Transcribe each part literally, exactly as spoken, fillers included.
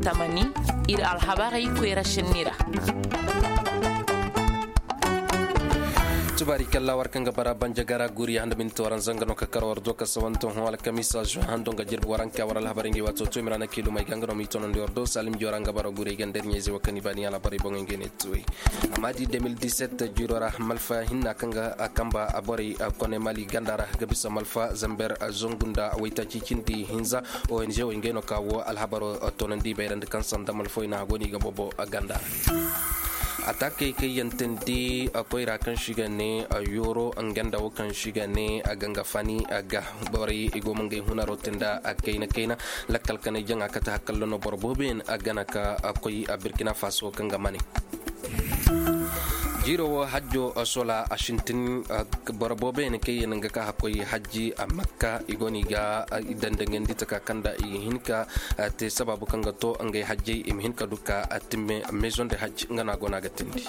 Tamani, ir alhabarey koyra šenni ra. Tubaari kalla war kaŋ ga bara banjagara guri handa minti waranza nga no ka kar war do ka sawanto hõ alkamisa juin hando nga jirbi waranka war alhabarey ngi waato to i ma ra na kiilumey ga nga no m'i tonandi war do salim jora nga bara guri ay ganda ir ɲayzey wo kaŋ i baani alhabarey boŋey ngey ne tuwey. Amma di deux mille dix-sept jiro ra malfa hinna kaŋ ga kamba borey kone mali ganda ra ga bisa malfa zamber, zongu nda waytaaci cindi hinza. Ong wey ngey no ka wo alhabaro tonandi bayrandi kaŋ sanda malfoy na go no i ga bobo ganda ra. Atakey kaŋ yantandi koyra kaŋ si ga ne yoro nga nda wo kaŋ si ga ne ganga fani ga borey i go ma ngey hunaro te nda kayna kayna. Lakkal kanay jaŋa kate hakalla no boro booboyaŋ gana ka koy burkina faso kaŋ ga mane. Jiiro wo hajjo sola a sintin. Boro booboyaŋ kaŋ yaŋ ga ka hakkoy hajji a makka i go no i ga i dandangandi taka kaŋ da i hin ka te sabaabu kaŋ ga to ngey hajjey i ma hin ka du ka timme maison de hajj nga no a go no a ga tindi.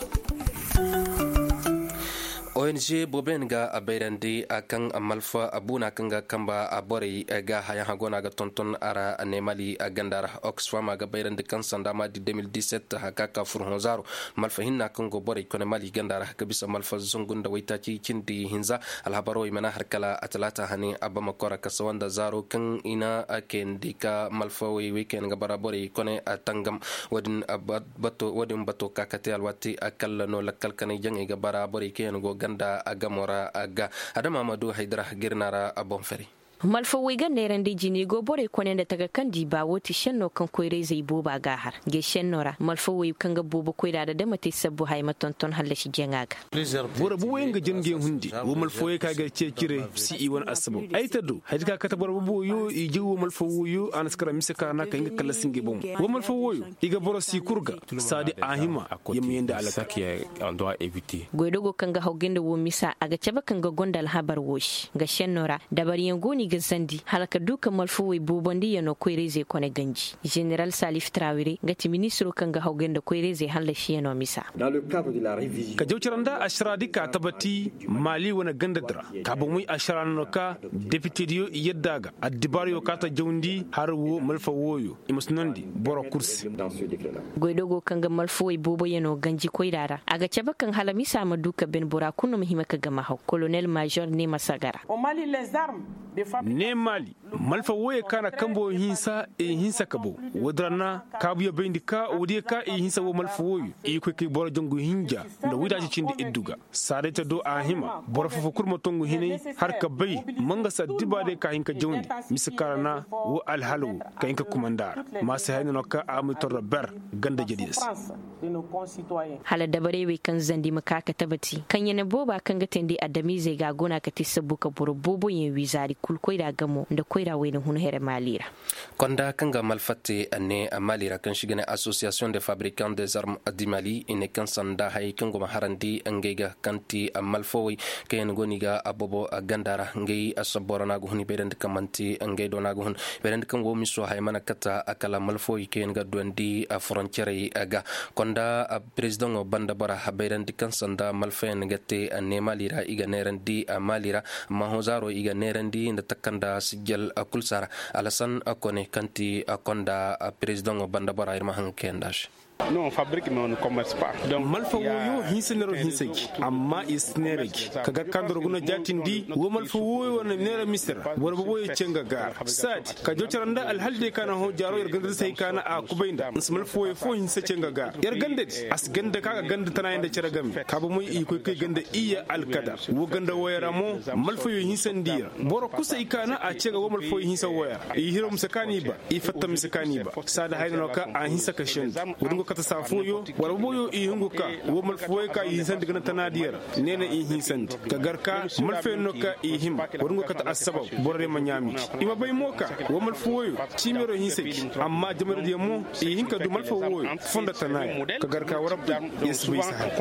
Ong booboyaŋ ga bayrandi kaŋ malfa buuna kaŋ ga kamba borey ga hayaŋ hago no a ga tonton a ra ne mali ganda ra. Oxfam a ga bayrandi kaŋ sanda ma di deux mille dix-sept haka ka fur hõ zaaro malfa hinna kaŋ go borey kone mali ganda ra ka bisa malfa zungu nda waytaaci cindi hinza. Alhabaroo i mana har kala a talaata hane a bama kora ka sawa nda zaaro kaŋ i na kayandi ka malfa wey wey kaŋ yaŋ ga bara borey kone a tangam. Wo- din bato ka kate alwaati a kalla no lakkal kanay jaŋey ga bara borey kaŋ yaŋ go ganda a gamo ra a ga adama ma du haydara girna ra a boŋ fari. Malfawey ga neerandi jini go borey kone nda taga kaŋ di ba wo ti šenno kaŋ koyra-izey booba ga a har. Ga šenno ra malfawey kaŋ ga boobo koyra da dama te sabbu haya ma tonton hallasi jaŋa ga. Boro booboyaŋ ga jin ga hundi wo malfawey ka ga ceecire si i wane assabab ay ta do haya di ka kate boro booboyo i jaw wo malfawey a na si kara mise ka ra na ka hin ga kallasi ngey bomo. Wo malfawey i ga boro si kul ga saadi a hima. Ya ma yandi alaka. Goydogo kaŋ ga haw ganda wo misa a ga cabe kaŋ ga gonda alhabar wo se ga šenno ra. Dabaryaŋ go no i ga zandi hala ka du ka malfawey boobandiyano koyra-izey kone ganji. Ženeral salif trawire nga ti ministiro kaŋ ga haw ganda koyra-izey hallasiyaŋo misa. Ka jaw cara nda ašara di ka tabati mali wane ganda di ra. Ka bomoy ašara no ka depitediyo i yadda a ga addibaariyo ka ta jawndi har wo malfa wooyo i ma si nondi boro kul se. Goydogo kaŋ ga malfawey booboyaŋo ganji koyra ra a ga cabe kaŋ hala misa ma du ka ben bora kulu no ma hima ka gama haw kolonel mažor ne ma sagara. Ne mali malfa wooyo ka na kambo hinsa i hinsa ka bow. Woodin ra na kaabuyo bayndi ka woodiyo ka i hinsa wo malfa wooyo i koy kay boro jangu hinja nda waytaaci cindi iddu ga. Saaday ta do a hima boro fofo kul ma tongu hinay har ka bay mangasa dibaadiyo ka hin ka jawndi. Mise ka ra na wo alhala wo ka hin ka kumanda a ra ma si hayna no ka a ma i torro ber ganda jediyo se. Hala dabarey wey kaŋ zandi ma ka ka tabati kaŋ ya na booba kaŋ ga teendi adamiizey ga a go no a ga te sabbu ka boro booboyaŋ wiizaari kul koyra gamo nda koyra wayna hun here maali ra. Konda kaŋ ga malfatte a ne a maali ra kaŋ si ga ne association de fabrican des armes du mali i ne kaŋ sanda hayey kaŋ go ma harandi ngey ga kaŋ ti malfawey kaŋ yaŋ go no i ga a boobo ganda ra ngey a sabboro no a ga hun i bayrandi kaŋ manti ngey do no a ga hun. Bayrandi kaŋ wo miso haya mana kata a kala malfawey kaŋ yaŋ ga duwandi a foroncerey ga. Konda perezidaŋo banda bora bayrandi kaŋ sanda malfayaŋ ga te a ne maali ra i ga neerandi a maali ra. Amma hõ zaaro i ga neerandi nda takanda sijjal kul sara. Alasan kone kaŋ ti konda perezidaŋo banda bora ir ma haŋ ga kayandi a se. Malfa wooyo hinsa neero hinsa gi amma i si neera gi ka gar ka ndoroguna jaatindi wo malfa wooyo wane neera mise ra boro booboyo ce nga gaara saadi ka jaw cara nda alhaldey ka na hõ jaaro yar ganda da se hay ka na a kubay nda nsi malfa wooyo fo hinsa ce nga gaara yar ganda di a si ganda ka ga ganda tanayaŋ nda care game ka ba moy i koy kay ganda iyya alkadar wo ganda wooyo ra mo malfayo hinsandi ra boro kusay ka na a ce ga wo malfayo hinsa wooyo ra i hiro mise ka n'i ba i fatta mise ka n'i ba saada hayna no ka a hinsa ka sendu wo-din go kate saa fooyo wala boboyo i hungu ka wo malfayo ka i hinsandi gana tanaadiyo ra neena i hinsandi ka gar ka malfayaŋ no ka i hima wo-din go kate assabab borodiyo ma ɲaami i ma bay mo ka wo malfayo ciimero hinsa gi amma jamaradiyo mo i hin ka du malfayo fondo tanaayo ka gar ka warab ya si bay si hari.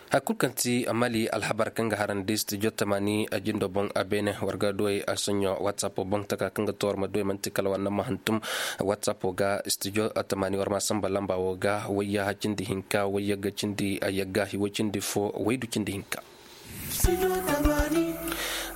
Hay kulu kaŋ ti mali alhabar kaŋ ga harandi studio tamaani jindo boŋ a beene war ga duwey a soɲo whatsapp boŋ taka kaŋ ga to war ma duwey manti kala war na ma hantum whatsapp ga studio tamaani war ma samba lamba wo ga wayya cindi hinka wayya ga cindi yagga hiwo cindi fo waydu cindi hinka.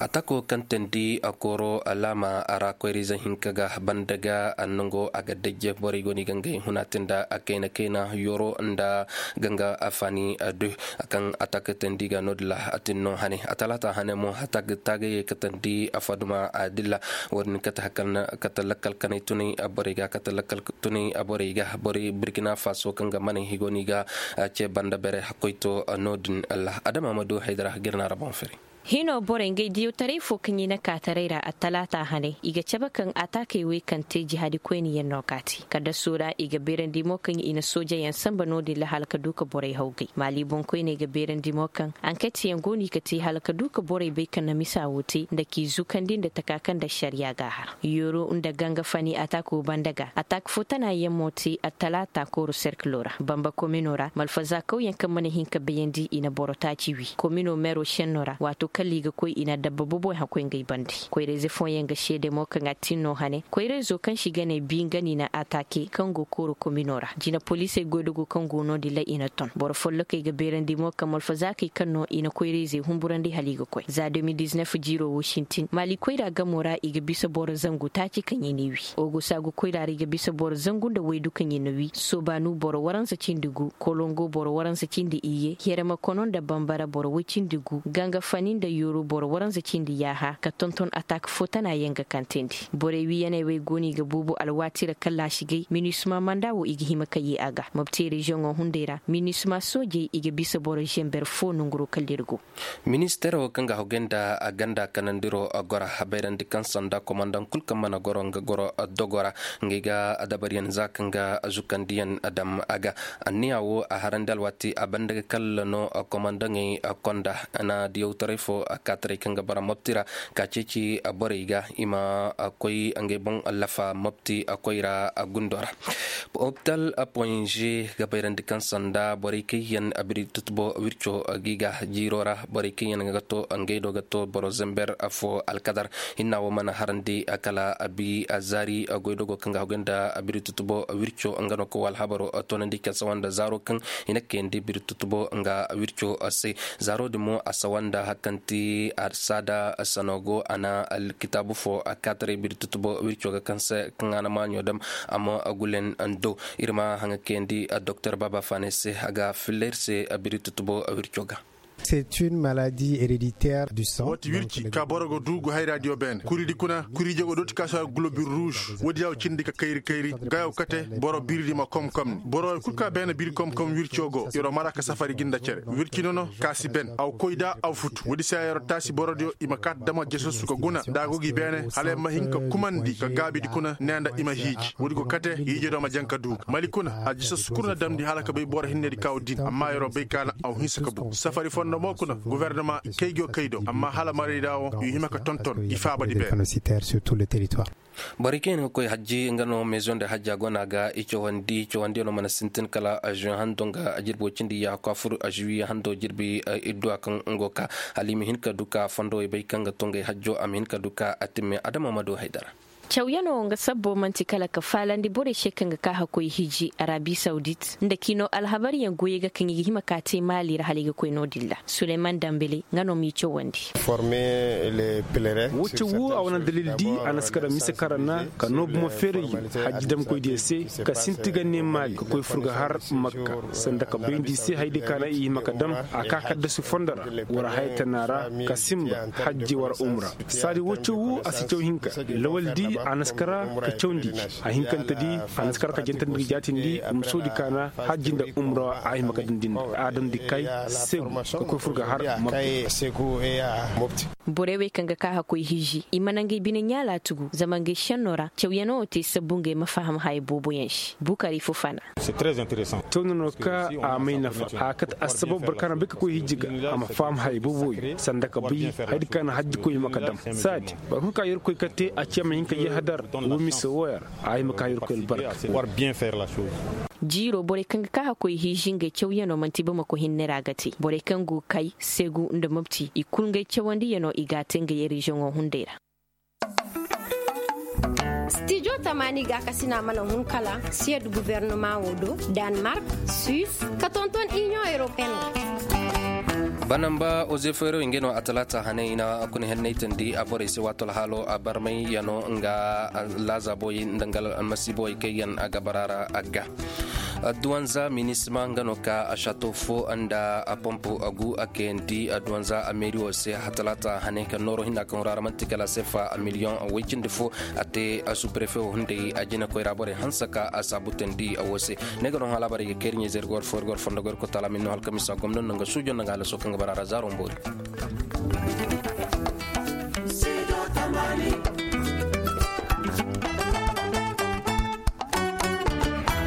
Atako kaŋ teendi kooro laama ra koyra-ize hinka ga banda ga, nango a ga dajje borey go no i ga ngey huna te nda kayna kayna yoro nda ganga faani du. Kaŋ atak teendi ga no- din ra a tin no hane a talaata hane mo atak taagayey ka teendi faduma dilla. Wo- din kate lakkal kanay tunay borey ga kate lakkal tunay borey ga borey burkina faso kaŋ ga manay higo no i ga ce banda bere hakkoy to no- din ra adama ma du haydara ga ir na ra boŋ firi. Hino borey ngey diyawtaray fo kaŋ i na kaataray ra attalaata hane i ga cabe kaŋ ataakey wey kaŋ te jihaadi koyniyaŋ no ka te kaddaso ra i ga beerandi mo kaŋ i na soojeyaŋ sanba no- din ra hala ka du ka borey hawgay maali boŋkoyney ga beerandi mo kaŋ anketyaŋ go no i ga te hala ka du ka borey bay kaŋ na misa wo te nda k'i zukandi nda taka kaŋ nda ašariya g'a har. Yoro nda ganga fani ataako banda ga ataak fo tana yaŋ mo te attalaata kooro serkilo ra bamba komino ra malfaza kawyaŋ kaŋ mana hin ka bayandi i na boro taaci wi komino meero šenno ra waato kala i ga koy i na dabba boboyaŋ hakkoy ngey bande koyrayze fooyaŋ ga seede mo kaŋ a tin no hane koyrayzo kaŋ se i ga ne bi nga no i na ataake kaŋ go kooro komino ra jina poliisey goydogo kaŋ go no- din ra i na ton boro follokey ga beerandi mo kaŋ malfazaakey kaŋ no i na koyrayzey humburandi hala i ga koy za de mil diznef jiiro wo sintin maali koyra gamo ra i ga bisa boro zangu taaci kaŋ i n'i wi ogosa go koyra ra i ga bisa boro zangu nda waydu kaŋ i na wi soobaanu boro waransa cindi gu kolongo boro waransa cindi iyye herema kono nda bambara boro woy cindi gu ganga fani nda yooru boro waransa cindi yaaha ka tonton atak fo tana yaŋ ga kantandi borey wiyaney wey go no i ga buubu alwaati ra kallaasi gay minisma manda wo i ga hima ka yee a ga mobti reziyoŋo hunday ra minisma soojey i ga bisa boro zember fo nonguro kala ir go. Ministeero kaŋ ga hogay nda ganda kanandiro gora bayrandi kaŋ sanda komandaŋ kul kaŋ mana goro nga goro dogo ra ngey ga dabaryaŋ za kaŋ ga zukandiyaŋ dam a ga anniya wo a harandi alwaati a banda ga kalla no komandaŋey konda na diyawtaray fo kaataray kaŋ ga bara mobti ra ka ceeci borey ga i ma koy ngey boŋ lafa mobti koyra gundo ra. Hopital ponze ga bayrandi kaŋ sanda borey kaŋ yaŋ biri tutubo wirco gi ga jiiro ra borey kaŋ yaŋ ga to ngey do ga to boro zember fo alkadar hinna wo mana harandi kala bi zaari goydogo kaŋ ga hagay nda biri tutubo wirco nga no ka wo alhabaro toonandi ka sawa nda zaaro kaŋ i na kayandi biri tutubo nga wirco se zaaro din mo a sawa nda hari kaŋ ti saada sanogo a na alkitaabu fo a kaataray biri tutubo wirco ga kaŋ se kaŋ a na maaɲo dam a ma gulen do ir ma haŋa kayandi doktor baba fane se a ga filla ir se biri tutubo wirco ga. C'est une maladie héréditaire du sang. Woo ti wirci ka boro ga du gu hayra diyo beene kuri di kuna kuri jogo dooti ka si a globin ruuz woodi ya wo cindi ka kayri kayri gayo kate boro biri di ma komkom ni boro kul ka beene biri komkom wirco go yer'o mara ka safari gi nda cere wirci nono ka si ben a wa koy da a wa futu woodi se ya yer'o taasi boro diyo i ma kaati dama jesosu ka guna nda a go gi beene hala ya ma hin ka kumandi ka gaabi di kuna ne nda i ma hiiji woodi go kate hiije do ma jaŋ ka du ga mali kuna a jesosu kul na damndi hala ka bay boro hinne di ka wo din amma yer'o bay ka na a wa hinsa ka bu safari fondo mo kuna gofornama kay go kay do amma hala marayda wo i hima ka tonton i faaba di beene. Borey kaŋ yaŋ ga koy hajji nga no meezo nda hajja go no a ga i cawandi cawandiyaŋo mana sintin kala azuwe hando nga jirbi way cindi yaaha ka fur azuwe hando jirbi idduwa kaŋ nga go ka hala i ma hin ka du ka fondowey bay kaŋ ga to ngey hajjo a ma hin ka du ka a timme adama ma du haydara. Cawyaŋo nga sabbo man'ti kala ka faalandi borey se kaŋ ga ka hakkoy hiji arabi sawdit nda kino alhabaryaŋ goyey ga kaŋ i ga hima ka te maali ra hala i ga koy no-din ra suleyman dambele nga no m'i cawandi. Woo caw woo a wane dalil di a na si kara mise kara na ka noobu ma feeray hajji damkoydiyo se ka sinti ga ne maali ka koy fur ga har makka sanda ka bayndi i se haydi ka na i hima ka dam a ka kaddasu fondo ra war haya tana ra ka sinba hajji war umra saadi woo caw woo a si caw hinka lawal di a na si kara ka cawndi a hinkante di a na si kara ka jantandi ga jaatindi umsoodi ka na hajji nda umra a hima ka dam din da a damndi kay seegu ka koy fur ga har mobti. Borey wey kaŋ ga ka hakkoy hiiji i mana ngey bine ɲaala tugu zama ngey šenno ra cawyaŋo wo te sabbu ngey ma faham haya booboyaŋ se bukari fufana. Tawna no ka a may nafa a kate assabab boro ka na bay ka koy hijji ga a ma faham haya booboyaŋ sanda ka bay haydi ka na hajji koy hima ka dam saadi boro kul ka yerkoy kate a ci a ma hin ka yahadar wo mise wooyaŋ ra a hima ka yerkoy albarka. Jiiro borey kaŋ ga ka hakkoy hiji ngey cawyaŋo man'ti bamako hinne ra ga te borey kaŋ go kay seegu nda mobti i kul ngey cawandiyaŋo i g'a te ngey reziyoŋo hunday ra. Stijo tamaani gaakasina mana hun kala siyed gufornama wo do, danmark, suis, ka tonton iniyoŋ europeen wo. Anamba oze feero i ngey no a talaata hane i na kuna hennaytandi a borey se waato alhaalo a barmay yano nga laaza boy nda nga almasiibo ay kaŋ yaŋ a ga bara ra a ga. Duwanza minisma nga no ka a shato fo nda a pompo a gu a kayandi duwanza a meeri wo se a talaata hane ka nooro hinna kaŋ ra manti kala sefa a miliyoŋ a way cindi fo. A te a suprefe wo hunday a jina koyra borey hanse ka a saabutandi a wo se. Ne ga no hã laabarey ga kayri ɲayzey ir gor fo ir gor fondo goy ir kotaala min no halkamisa gomno nda nga suujo nda nga halaso kaŋ ga bara ra zaaro mboori.